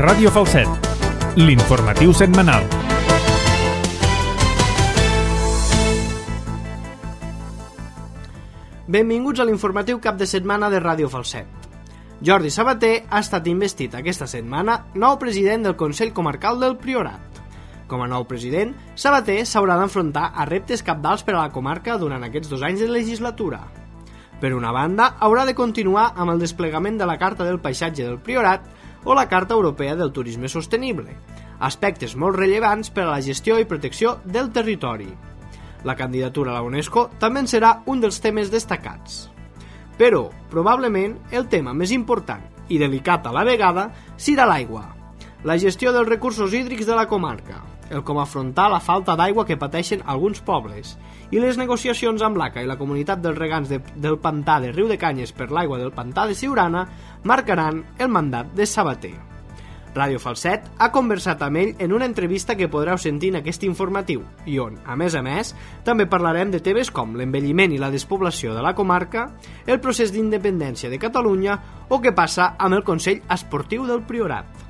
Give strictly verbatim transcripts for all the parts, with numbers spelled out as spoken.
Ràdio Falset, l'informatiu setmanal. Benvinguts a l'informatiu cap de setmana de Ràdio Falset. Jordi Sabater ha estat investit aquesta setmana nou president del Consell Comarcal del Priorat. Com a nou president, Sabater s'haurà d'enfrontar a reptes cabdals per a la comarca durant aquests dos anys de legislatura. Per una banda, haurà de continuar amb el desplegament de la Carta del Paisatge del Priorat o la Carta Europea del Turisme Sostenible, aspectes molt rellevants per a la gestió i protecció del territori. La candidatura a la UNESCO també en serà un dels temes destacats. Però, probablement, el tema més important i delicat a la vegada serà l'aigua, la gestió dels recursos hídrics de la comarca, el com afrontar la falta d'aigua que pateixen alguns pobles i les negociacions amb l'A C A i la comunitat dels regants de, del pantà de Riudecanyes per l'aigua del pantà de Siurana marcaran el mandat de Sabater. Ràdio Falset ha conversat amb ell en una entrevista que podreu sentir en aquest informatiu i on, a més a més, també parlarem de temes com l'envelliment i la despoblació de la comarca, el procés d'independència de Catalunya o què passa amb el Consell Esportiu del Priorat.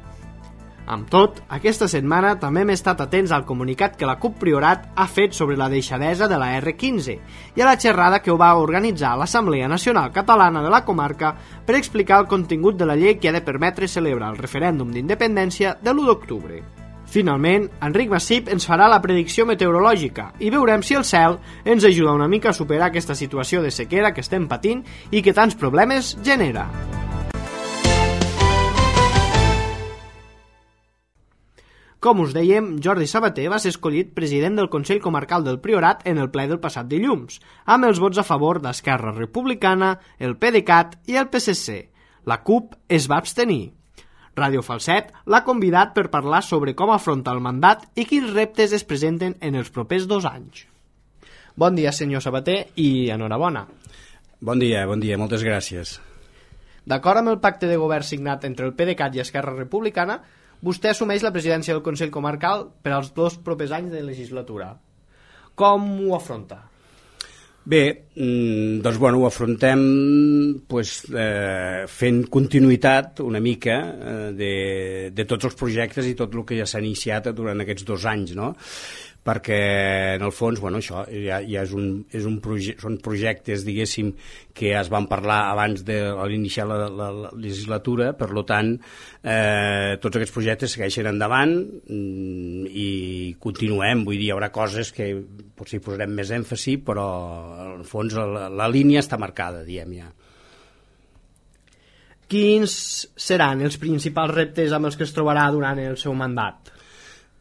Amb tot, aquesta setmana també hem estat atents al comunicat que la CUP Priorat ha fet sobre la deixadesa de la erre quinze i a la xerrada que ho va organitzar l'Assemblea Nacional Catalana de la comarca per explicar el contingut de la llei que ha de permetre celebrar el referèndum d'independència de l'u d'octubre. Finalment, Enric Massip ens farà la predicció meteorològica i veurem si el cel ens ajuda una mica a superar aquesta situació de sequera que estem patint i que tants problemes genera. Com us dèiem, Jordi Sabater va ser escollit president del Consell Comarcal del Priorat en el ple del passat dilluns, amb els vots a favor d'Esquerra Republicana, el PDeCAT i el P S C. La CUP es va abstenir. Ràdio Falset l'ha convidat per parlar sobre com afronta el mandat i quins reptes es presenten en els propers dos anys. Bon dia, senyor Sabater, i enhorabona. Bon dia, bon dia, moltes gràcies. D'acord amb el pacte de govern signat entre el PDeCAT i Esquerra Republicana, vostè assumeix la presidència del Consell Comarcal per als dos propers anys de legislatura. Com ho afronta? Bé, doncs bueno, ho afrontem pues, eh, fent continuïtat una mica eh, de, de tots els projectes i tot el que ja s'ha iniciat durant aquests dos anys, no? Perquè en el fons, bueno, això ja, ja és un, és un proje són projectes, diguéssim, que es van parlar abans de l'iniciar la, la, la legislatura, per tant, eh, tots aquests projectes segueixen endavant mm, i continuem, vull dir, hi haurà coses que potser hi posarem més èmfasi, però en el fons la, la línia està marcada, diem ja. Quins seran els principals reptes amb els que es trobarà durant el seu mandat?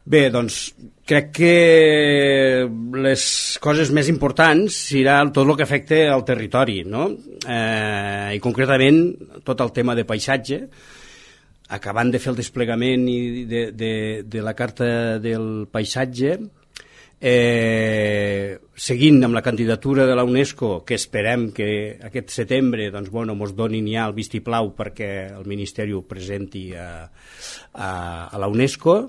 Bé, doncs crec que les coses més importants serà tot el que afecta al territori, no? Eh, i concretament tot el tema de paisatge, acabant de fer el desplegament de, de, de la Carta del Paisatge, eh, seguint amb la candidatura de la UNESCO, que esperem que aquest setembre doncs, bueno, mos donin ja el vistiplau perquè el Ministeri ho presenti a, a, a la UNESCO.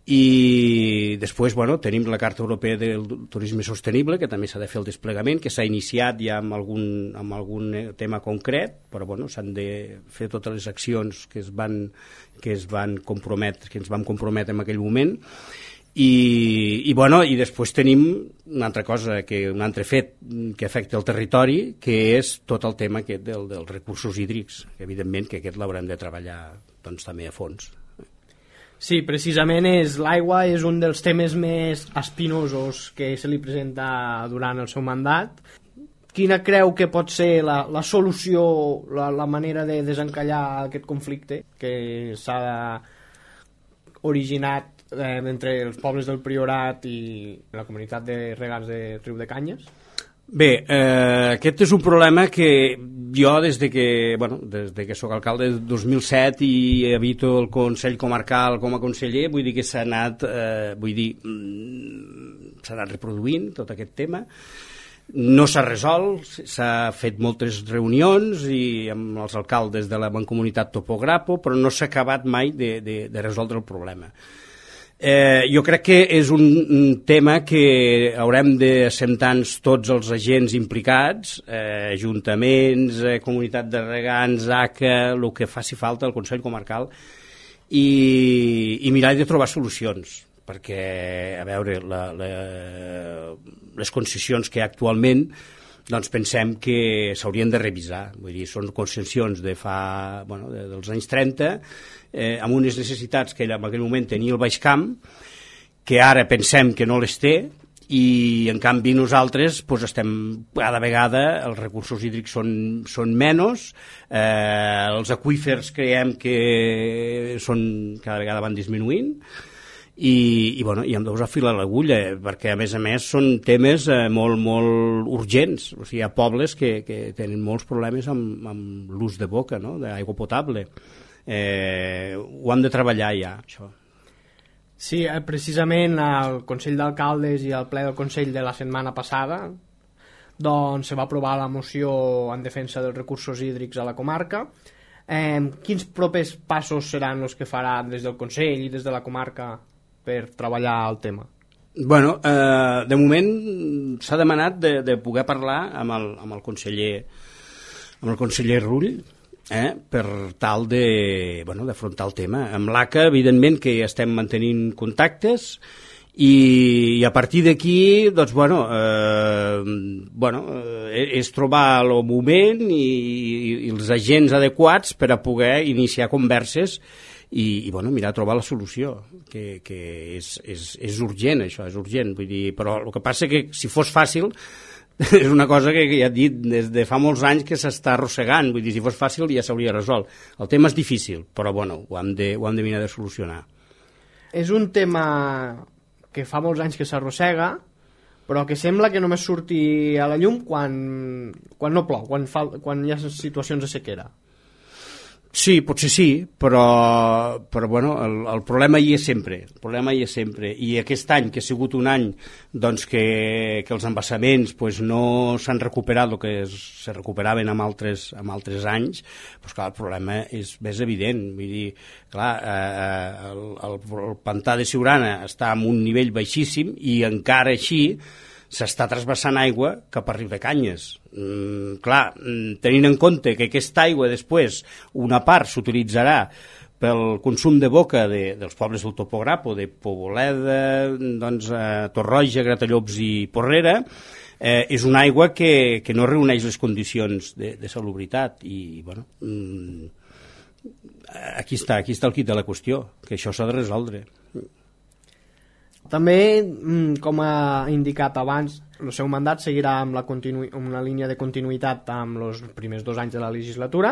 I després bueno, tenim la Carta Europea del Turisme Sostenible, que també s'ha de fer el desplegament, que s'ha iniciat ja amb algun, amb algun tema concret, però bueno, s'han de fer totes les accions que es van, que es van comprometre, que ens vam comprometre en aquell moment. I, i, bueno, i després tenim una altra cosa, que, un altre fet que afecta el territori, que és tot el tema aquest del, dels recursos hídrics, que evidentment que aquest l'haurem de treballar doncs, també a fons. Sí, precisament és l'aigua és un dels temes més espinosos que se li presenta durant el seu mandat. Quina creu que pot ser la, la solució, la, la manera de desencallar aquest conflicte que s'ha originat eh, entre els pobles del Priorat i la comunitat de regants de Riudecanyes? Bé, eh, aquest és un problema que jo des de que, bueno, des de que soc alcalde del dos mil set i habito el Consell Comarcal com a conseller, vull dir que s'ha anat, eh, vull dir, s'ha anat reproduint tot aquest tema. No s'ha resolt, s'ha fet moltes reunions i amb els alcaldes de la mancomunitat Topograpo, però no s'ha acabat mai de, de, de resoldre el problema. Eh, jo crec que és un, un tema que haurem d'assentar-nos tots els agents implicats, eh, ajuntaments, eh, comunitat de regants, A C A, el que faci falta al Consell Comarcal, i, i mirar de trobar solucions, perquè, a veure, la, la, les concessions que hi ha actualment, doncs pensem que s'haurien de revisar. Vull dir, són concessions de fa, bueno, de, dels anys trenta, eh, amb unes necessitats que en aquell moment tenia el Baix Camp, que ara pensem que no les té, i en canvi nosaltres pues, estem cada vegada, els recursos hídrics són, són menys, eh, els aqüífers creiem que són, cada vegada van disminuint, i, i, bueno, i hem de posar fil a l'agulla, perquè a més a més són temes eh, molt, molt urgents. O sigui, hi ha pobles que, que tenen molts problemes amb, amb l'ús de boca, no? D'aigua potable. Eh, ho hem de treballar ja, això. Sí, precisament al Consell d'Alcaldes i al ple del Consell de la setmana passada doncs se va aprovar la moció en defensa dels recursos hídrics a la comarca. Eh, quins propers passos seran els que farà des del Consell i des de la comarca per treballar el tema? Bueno, eh, de moment s'ha demanat de, de poder parlar amb el, amb el conseller amb el conseller Rull, Eh, per tal de, bueno, d'afrontar el tema. Amb l'A C A, evidentment, que estem mantenint contactes i, i a partir d'aquí, doncs, bueno, eh, bueno eh, és trobar el moment i, i, i els agents adequats per a poder iniciar converses i, i bueno, mirar a trobar la solució, que, que és, és, és urgent, això, és urgent. Vull dir, però el que passa que si fos fàcil és una cosa que ja he dit des de fa molts anys que s'està arrossegant, vull dir, si fos fàcil ja s'hauria resolt. El tema és difícil, però bueno, ho hem de, ho hem de mirar de solucionar. És un tema que fa molts anys que s'arrossega, però que sembla que només surti a la llum quan, quan no plou, quan, fa, quan hi ha situacions de sequera. Sí, potser sí, però, però bueno, el, el problema hi és sempre, el problema hi és sempre, i aquest any, que ha sigut un any doncs, que, que els embassaments pues, no s'han recuperat el que es, se recuperaven en altres, en altres anys, doncs, clar, el problema és més evident. Vull dir, clar, eh, el, el, el pantà de Siurana està en un nivell baixíssim i encara així s'està trasbassant aigua cap a Riudecanyes. Mm, clar, tenint en compte que aquesta aigua després, una part s'utilitzarà pel consum de boca de, dels pobles del Topograpo, de Poboleda, doncs, eh, Torroja, Gratallops i Porrera, eh, és una aigua que, que no reuneix les condicions de, de salubritat i, bueno, mm, aquí està, aquí està el quid de la qüestió, que això s'ha de resoldre. També, com ha indicat abans, el seu mandat seguirà amb, la continu... amb una línia de continuïtat amb els primers dos anys de la legislatura,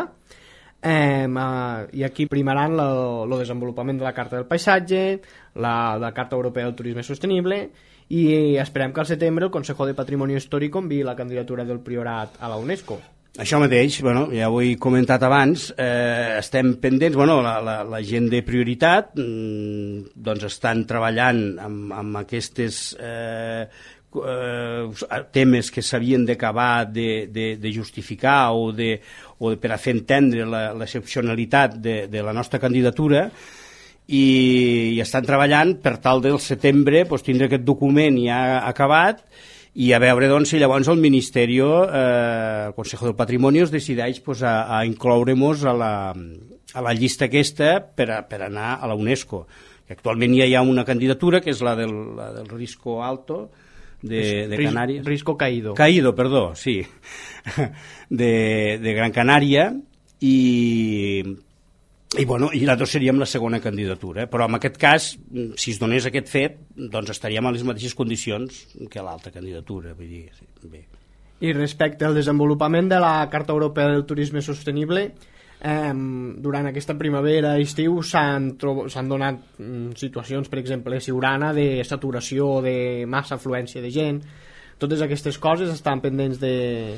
eh, i aquí primaran el desenvolupament de la Carta del Paisatge, la, la Carta Europea del Turisme Sostenible, i esperem que al setembre el Consejo de Patrimonio Histórico enviï la candidatura del Priorat a la UNESCO. Això mateix, bueno, ja ho he comentat abans, eh, estem pendents, bueno, la, la, la gent de prioritat mmm, doncs estan treballant amb, amb aquestes eh, eh, temes que s'havien d'acabar de, de, de justificar o, de, o de, per a fer entendre l'excepcionalitat de, de la nostra candidatura, i, i estan treballant per tal del setembre pues, tindre aquest document ja acabat i a veure doncs, si llavors el Ministeri, eh, el Consejo del Patrimonio, es decideix pues, a, a incloure-nos a la, a la llista aquesta per, a, per anar a la UNESCO. Que actualment ja hi ha una candidatura, que és la del, la del Risco Alto, de, de Canàries. Risco Caído. Caído, perdó, sí. De, de Gran Canària, i... I, bueno, i nosaltres seríem la segona candidatura, eh? Però en aquest cas, si es donés aquest fet, doncs estaríem a les mateixes condicions que l'altra candidatura. Vull dir, sí, bé. I respecte al desenvolupament de la Carta Europea del Turisme Sostenible, eh, durant aquesta primavera i estiu s'han s'han donat mm, situacions, per exemple, a Siurana, de saturació, de massa afluència de gent. Totes aquestes coses estan pendents de,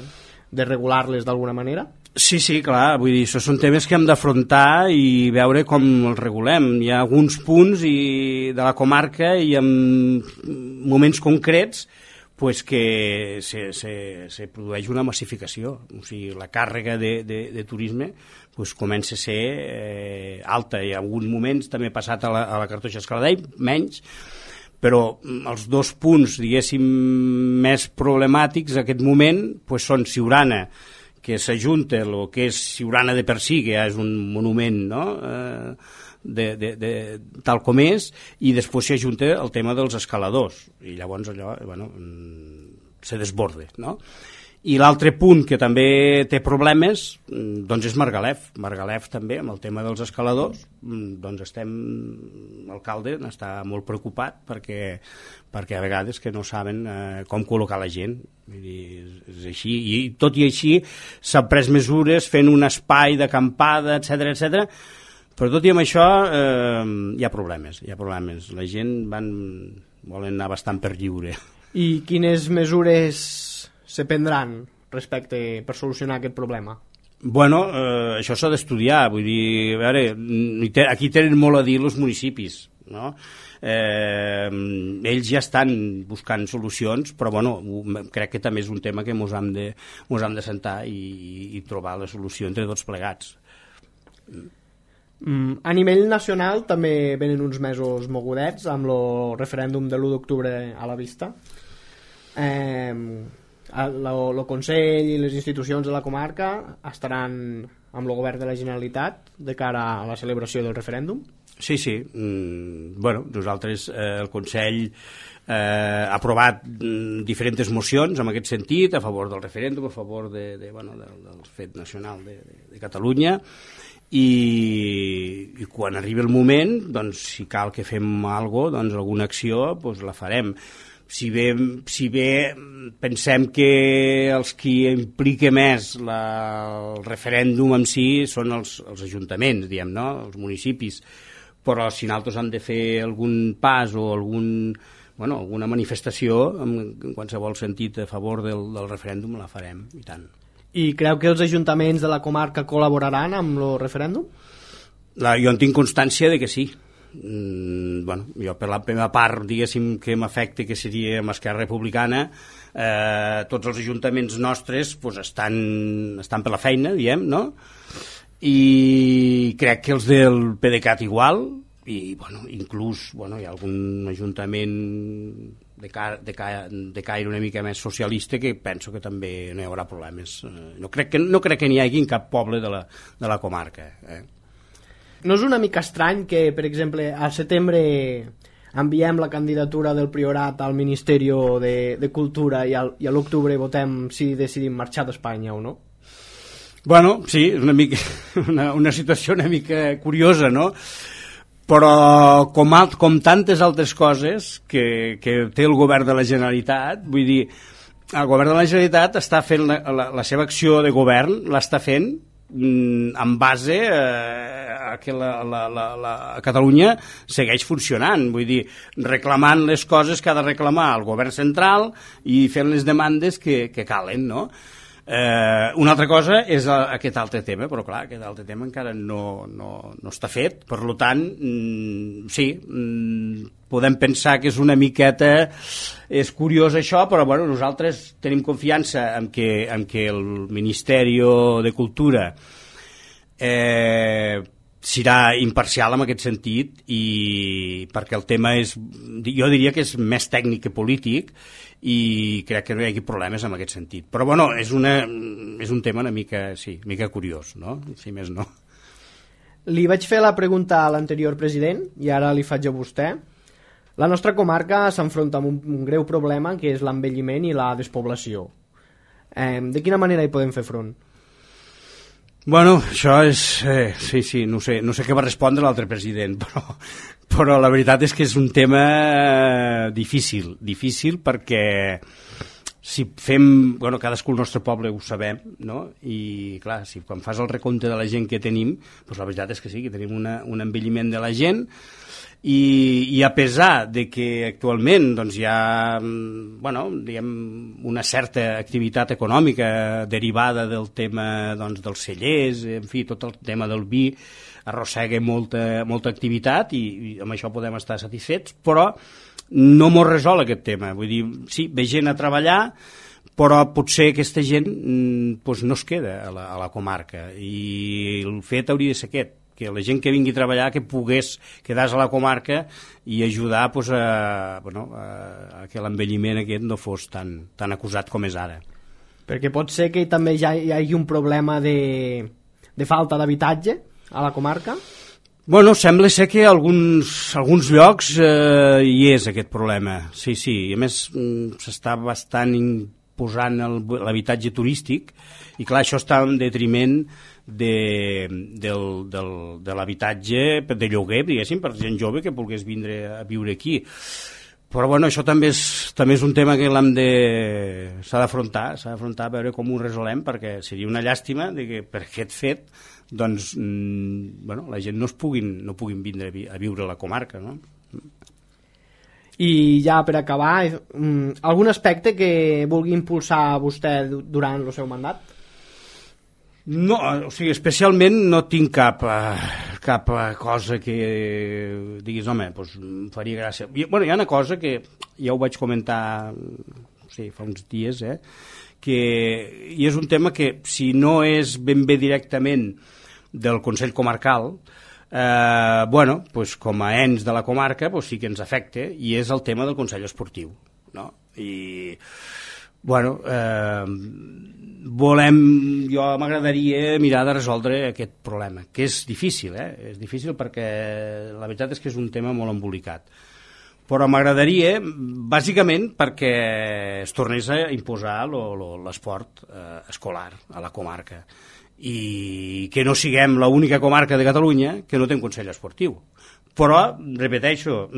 de regular-les d'alguna manera? Sí, sí, clar, vull dir, això són temes que hem d'afrontar i veure com els regulem. Hi ha alguns punts i, de la comarca i en moments concrets pues, que se, se, se produeix una massificació. O sigui, la càrrega de, de, de turisme pues, comença a ser eh, alta. I en alguns moments també ha passat a la, a la Cartoixa Escaladell, menys, però els dos punts, diguéssim, més problemàtics en aquest moment pues, són Siurana, que s'ajunta el que és Siurana de per si, que ja és un monument, no? eh, de, de, de, tal com és, i després s'hi ajunta el tema dels escaladors, i llavors allò, bueno, se desborde, no? I l'altre punt que també té problemes doncs és Margalef. Margalef també, amb el tema dels escaladors, doncs estem, l'alcalde està molt preocupat perquè, perquè a vegades que no saben eh, com col·locar la gent. Vull dir, és així. I tot i així s'han pres mesures fent un espai d'acampada, etcètera, etcètera. Però tot i amb això eh, hi ha problemes, hi ha problemes. La gent van, volen anar bastant per lliure. I quines mesures se prendran respecte per solucionar aquest problema? Bueno, eh, això s'ha d'estudiar, vull dir, a veure, aquí tenen molt a dir els municipis, no? Eh, ells ja estan buscant solucions, però bueno, crec que també és un tema que mos hem de, mos hem de sentar i, i trobar la solució entre tots plegats. Mm, a nivell nacional també venen uns mesos mogudets amb el referèndum de l'u d'octubre a la vista. Eh, el Consell i les institucions de la comarca estaran amb el govern de la Generalitat de cara a la celebració del referèndum? Sí, sí. Mm, bueno, nosaltres, eh, el Consell eh, ha aprovat mm, diferents mocions en aquest sentit, a favor del referèndum, a favor de, de, bueno, del, del fet nacional de, de, de Catalunya, i, i quan arribi el moment, doncs, si cal que fem alguna cosa, doncs, alguna acció, doncs, la farem. Si bé, si bé pensem que els qui implica més la, el referèndum en si són els, els ajuntaments, diguem, no? Els municipis, però si nosaltres hem de fer algun pas o algun, bueno, alguna manifestació en, en qualsevol sentit a favor del, del referèndum, la farem, i tant. I creu que els ajuntaments de la comarca col·laboraran amb el referèndum? La, jo en tinc constància de que sí. Mm, bueno, jo per la meva part, diguéssim, que m'afecta, que seria amb Esquerra Republicana, eh, tots els ajuntaments nostres pues, estan, estan per la feina, diem, no? I crec que els del PDeCAT igual, i bueno, inclús bueno, hi ha algun ajuntament de, car de, ca de caire una mica més socialista que penso que també no hi haurà problemes. No crec que, no crec que n'hi hagi en cap poble de la, de la comarca, eh? No és una mica estrany que, per exemple, al setembre enviem la candidatura del Priorat al Ministeri de, de Cultura i, al, i a l'octubre votem si decidim marxar d'Espanya o no? Bueno, sí, és una, mica, una, una situació una mica curiosa, no? Però com, alt, com tantes altres coses que, que té el govern de la Generalitat, vull dir, el govern de la Generalitat està fent la, la, la seva acció de govern, l'està fent en base a que la, la, la, la Catalunya segueix funcionant, vull dir, reclamant les coses que ha de reclamar el govern central i fent les demandes que, que calen, no? Eh, una altra cosa és aquest altre tema, però clar, aquest altre tema encara no, no, no està fet, per tant, mm, sí, mm, podem pensar que és una miqueta, és curiós això, però bueno, nosaltres tenim confiança en que, en que el Ministeri de Cultura eh, serà imparcial en aquest sentit, i perquè el tema és, jo diria que és més tècnic que polític, i crec que no hi hagi problemes en aquest sentit. Però bueno, és, una, és un tema una mica, sí, una mica curiós, no? Si més no. Li vaig fer la pregunta a l'anterior president i ara li faig a vostè. La nostra comarca s'enfronta amb un, un greu problema que és l'envelliment i la despoblació. Eh, de quina manera hi podem fer front? Bueno, això és... Eh, sí, sí, no sé, no sé què va respondre l'altre president, però, però la veritat és que és un tema difícil, difícil perquè si fem... Bueno, cadascú al nostre poble ho sabem, no? I, clar, si quan fas el recompte de la gent que tenim, doncs la veritat és que sí, que tenim una, un envelliment de la gent, i, i a pesar de que actualment doncs, hi ha bueno, diguem, una certa activitat econòmica derivada del tema doncs, dels cellers, en fi, tot el tema del vi arrossega molta, molta activitat i, i amb això podem estar satisfets, però no mos resol aquest tema. Vull dir, sí, ve gent a treballar, però potser aquesta gent doncs, no es queda a la, a la comarca, i el fet hauria de ser aquest, que la gent que vingui a treballar que pogués quedar-se a la comarca i ajudar pues, a, bueno, a, a que l'envelliment aquest no fos tan, tan acusat com és ara. Perquè pot ser que també ja hi hagi un problema de, de falta d'habitatge a la comarca? Bueno, sembla ser que a alguns, alguns llocs eh, hi és aquest problema, sí, sí, i a més s'està bastant imposant l'habitatge turístic i clar, això està en detriment de, del, del, de l'habitatge de lloguer, diguéssim, per gent jove que volgués vindre a viure aquí. Però bueno, això també és, també és un tema que l'hem de... s'ha d'afrontar, s'ha d'afrontar a veure com ho resolem, perquè seria una llàstima de que per aquest fet doncs, mmm, bueno, la gent no es puguin, no puguin vindre a viure a la comarca, no? I ja per acabar, algun aspecte que vulgui impulsar vostè durant el seu mandat? No, o sigui, especialment no tinc cap, uh, cap uh, cosa que diguis, home, doncs em faria gràcia. I, bueno, hi ha una cosa que ja ho vaig comentar sí, fa uns dies, eh, que, i és un tema que si no és ben bé directament del Consell Comarcal, eh, bueno, doncs com a ens de la comarca doncs sí que ens afecta, i és el tema del Consell Esportiu, no? I bueno, eh, volem, jo m'agradaria mirar de resoldre aquest problema, que és difícil, eh? És difícil perquè la veritat és que és un tema molt embolicat. Però m'agradaria, bàsicament, perquè es tornés a imposar l'esport eh, escolar a la comarca i que no siguem l'única comarca de Catalunya que no té un consell esportiu. Però, repeteixo,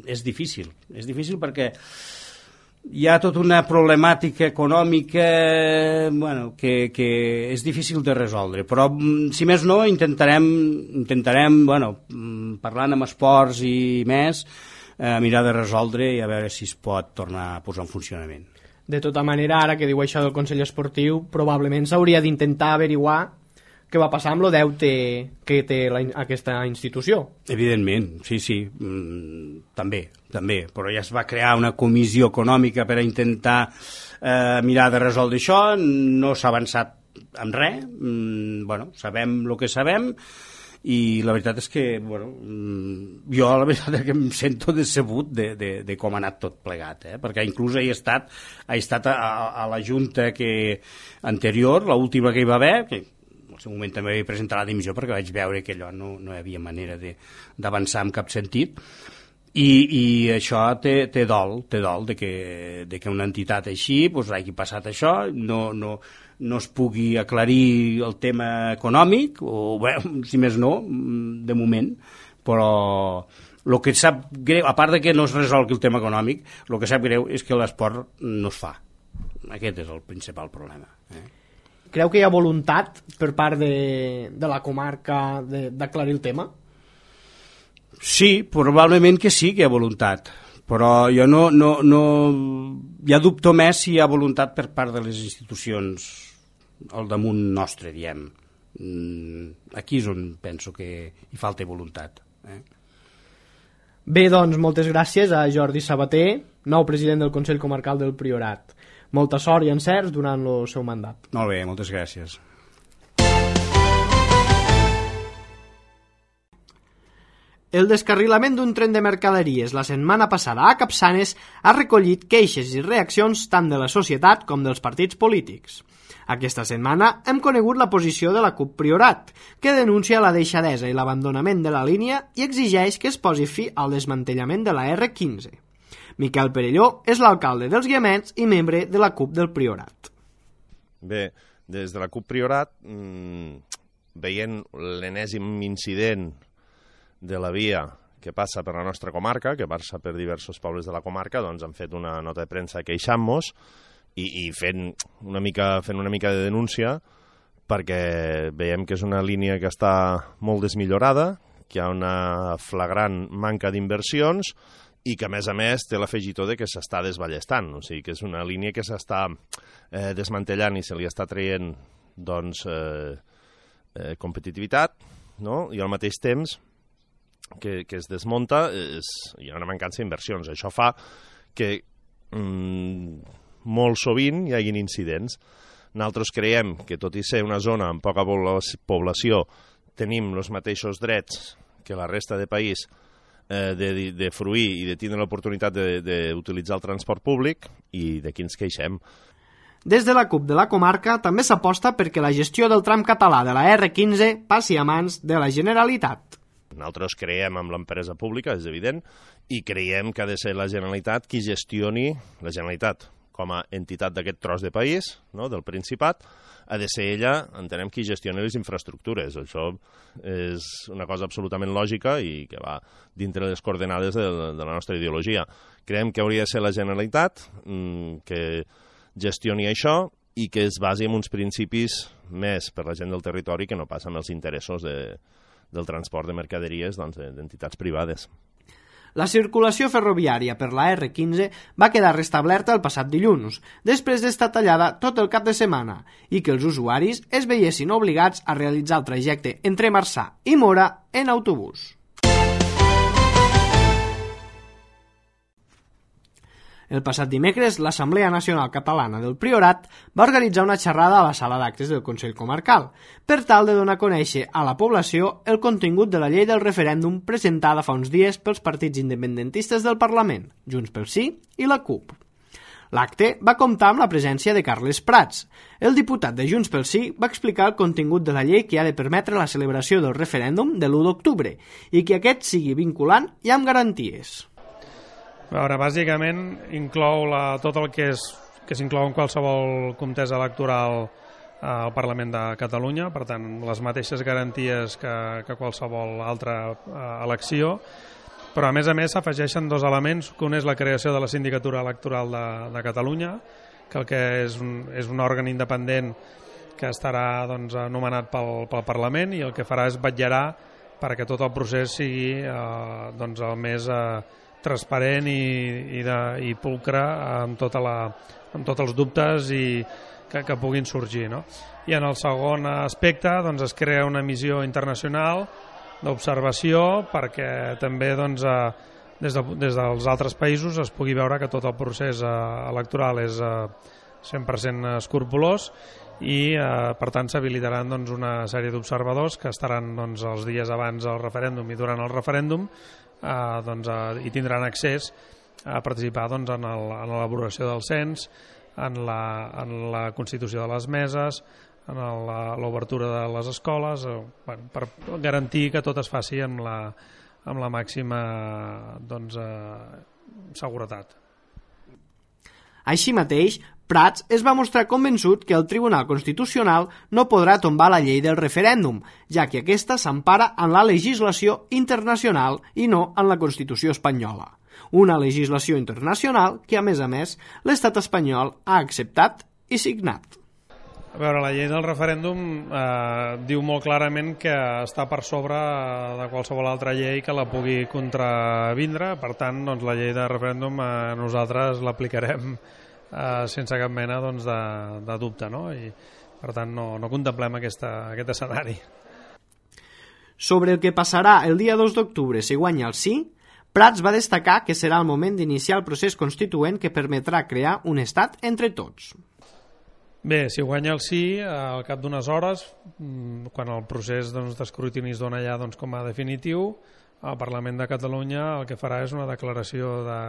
és difícil, és difícil perquè hi ha tota una problemàtica econòmica bueno, que, que és difícil de resoldre, però si més no intentarem, intentarem bueno, parlant amb esports i més, eh, mirar de resoldre i a veure si es pot tornar a posar en funcionament. De tota manera, ara que diu això del Consell Esportiu, probablement s'hauria d'intentar averiguar què va passar amb el deute que té la, aquesta institució. Evidentment, sí, sí, mm, també, també, però ja es va crear una comissió econòmica per a intentar eh, mirar de resoldre això, no s'ha avançat en res, mm, bueno, sabem el que sabem, i la veritat és que, bueno, jo la veritat és que em sento decebut de, de, de com ha anat tot plegat, eh? Perquè inclús he estat, he estat a, a la junta que, anterior, l'última que hi va haver, que en el seu moment també vaig presentar la dimissió perquè vaig veure que allò no, no hi havia manera d'avançar en cap sentit, i, i això té, té dol, té dol de que, de que una entitat així doncs, hagi passat això, no, no, no es pugui aclarir el tema econòmic, o bé, si més no, de moment, però el que sap greu, a part de que no es resolgui el tema econòmic, el que sap greu és que l'esport no es fa. Aquest és el principal problema. Eh? Creu que hi ha voluntat per part de, de la comarca d'aclarir el tema? Sí, probablement que sí que hi ha voluntat, però jo no, no, no... ja dubto més si hi ha voluntat per part de les institucions al damunt nostre, diem. Aquí és on penso que hi falta voluntat. Eh? Bé, doncs, moltes gràcies a Jordi Sabater, nou president del Consell Comarcal del Priorat. Molta sort i encerts durant el seu mandat. Molt bé, moltes gràcies. El descarrilament d'un tren de mercaderies la setmana passada a Capçanes ha recollit queixes i reaccions tant de la societat com dels partits polítics. Aquesta setmana hem conegut la posició de la CUP Priorat, que denuncia la deixadesa i l'abandonament de la línia i exigeix que es posi fi al desmantellament de la erre quinze. Miquel Perelló és l'alcalde dels Guiamets i membre de la CUP del Priorat. Bé, des de la CUP Priorat, mmm, veient l'enèsim incident de la via que passa per la nostra comarca, que passa per diversos pobles de la comarca, doncs han fet una nota de premsa queixant-nos i, i fent, una mica, fent una mica de denúncia perquè veiem que és una línia que està molt desmillorada, que hi ha una flagrant manca d'inversions i que, a més a més, té l'afegitó de que s'està desballestant. O sigui, que és una línia que s'està eh, desmantellant i se li està traient doncs, eh, eh, competitivitat, no? I al mateix temps que, que es desmunta és, hi ha una mancança d'inversions. Això fa que mm, molt sovint hi hagin incidents. Nosaltres creiem que, tot i ser una zona amb poca població, tenim els mateixos drets que la resta de país de, de, de fruir i de tindre l'oportunitat d'utilitzar el transport públic i de qui ens queixem. Des de la CUP de la comarca també s'aposta perquè la gestió del tram català de la erre quinze passi a mans de la Generalitat. Nosaltres creiem en l'empresa pública, és evident, i creiem que ha de ser la Generalitat qui gestioni, la Generalitat com a entitat d'aquest tros de país, no?, del Principat, ha de ser ella, entenem, qui gestioni les infraestructures. Això és una cosa absolutament lògica i que va dintre les coordenades de, de la nostra ideologia. Creiem que hauria de ser la Generalitat mmm, que gestioni això i que es basi en uns principis més per la gent del territori que no passa amb els interessos de, del transport de mercaderies doncs, d'entitats privades. La circulació ferroviària per la erre quinze va quedar restablerta el passat dilluns, després d'estar tallada tot el cap de setmana, i que els usuaris es veiessin obligats a realitzar el trajecte entre Marçà i Móra en autobús. El passat dimecres, l'Assemblea Nacional Catalana del Priorat va organitzar una xerrada a la sala d'actes del Consell Comarcal per tal de donar a conèixer a la població el contingut de la llei del referèndum presentada fa uns dies pels partits independentistes del Parlament, Junts pel Sí i la CUP. L'acte va comptar amb la presència de Carles Prats. El diputat de Junts pel Sí va explicar el contingut de la llei que ha de permetre la celebració del referèndum de l'u d'octubre i que aquest sigui vinculant i amb garanties. A veure, bàsicament inclou la, tot el que és que s'inclou en qualsevol contesa electoral al Parlament de Catalunya, per tant, les mateixes garanties que, que qualsevol altra eh, elecció, però a més a més s'afegeixen dos elements, que un és la creació de la Sindicatura Electoral de, de Catalunya, que el que és un, és un òrgan independent que estarà doncs, anomenat pel, pel Parlament i el que farà és vetllarà perquè tot el procés sigui eh, doncs, el més eh, transparent i, i, de, i pulcre amb, tota la, amb tots els dubtes i que, que puguin sorgir, no? I en el segon aspecte doncs, es crea una missió internacional d'observació perquè també doncs, eh, des, de, des dels altres països es pugui veure que tot el procés eh, electoral és eh, cent per cent escrupolós i eh, per tant s'habilitaran doncs, una sèrie d'observadors que estaran doncs, els dies abans del referèndum i durant el referèndum eh, doncs, eh, i tindran accés a participar doncs, en l'elaboració del cens, en la, en la constitució de les meses, en l'obertura de les escoles, eh, bueno, per garantir que tot es faci amb la, amb la màxima doncs, eh, seguretat. Així mateix, Prats es va mostrar convençut que el Tribunal Constitucional no podrà tombar la llei del referèndum, ja que aquesta s'empara en la legislació internacional i no en la Constitució espanyola. Una legislació internacional que, a més a més, l'Estat espanyol ha acceptat i signat. A veure, la llei del referèndum eh, diu molt clarament que està per sobre de qualsevol altra llei que la pugui contravindre, per tant, doncs, la llei de referèndum eh, nosaltres l'aplicarem eh, sense cap mena doncs, de, de dubte, no? I, per tant, no, no contemplem aquesta, aquest escenari. Sobre el que passarà el dia dos d'octubre si guanya el sí, Prats va destacar que serà el moment d'iniciar el procés constituent que permetrà crear un estat entre tots. Bé, si guanya el sí, al cap d'unes hores, quan el procés doncs, d'escrutini es dona ja doncs, com a definitiu, el Parlament de Catalunya el que farà és una declaració de,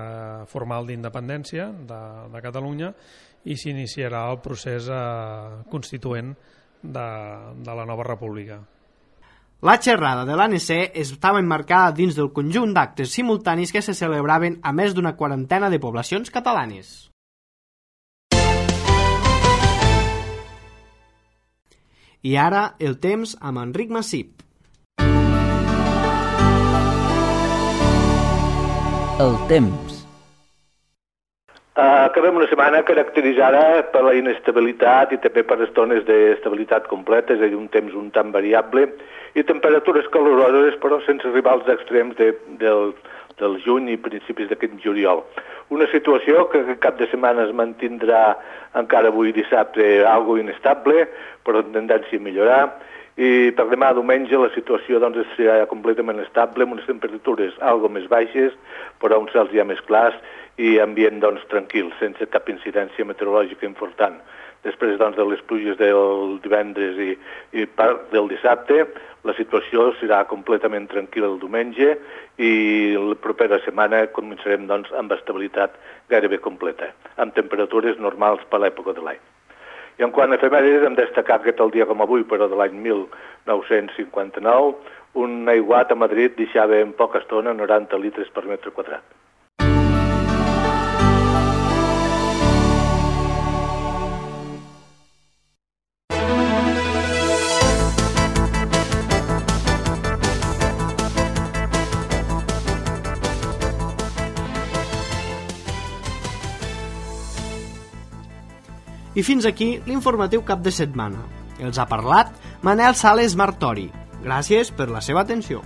formal d'independència de, de Catalunya i s'iniciarà el procés eh, constituent de, de la nova república. La xerrada de l'A N C estava emmarcada dins del conjunt d'actes simultanis que se celebraven a més d'una quarantena de poblacions catalanes. I ara el temps amb Enric Massip. El temps. Uh, acabem una setmana caracteritzada per la inestabilitat i també per estones d'estabilitat completa, és a dir, un temps un tant variable i temperatures caloroses però sense arribar als extrems de, del, del juny i principis d'aquest juliol. Una situació que aquest cap de setmana es mantindrà encara avui dissabte algo inestable, però amb tendència a millorar, i per demà diumenge la situació doncs, serà completament estable, amb unes temperatures algo més baixes, però uns cels ja més clars i ambient doncs, tranquil, sense cap incidència meteorològica important. Després doncs, de les pluges del divendres i, i part del dissabte, la situació serà completament tranquil·la el diumenge i la propera setmana començarem doncs, amb estabilitat gairebé completa, amb temperatures normals per l'època de l'any. I en quant a efemèrides hem destacat que tal dia com avui, però de l'any mil nou-cents cinquanta-nou, un aiguat a Madrid deixava en poca estona noranta litres per metre quadrat. I fins aquí l'informatiu cap de setmana. Els ha parlat Manel Sales Martori. Gràcies per la seva atenció.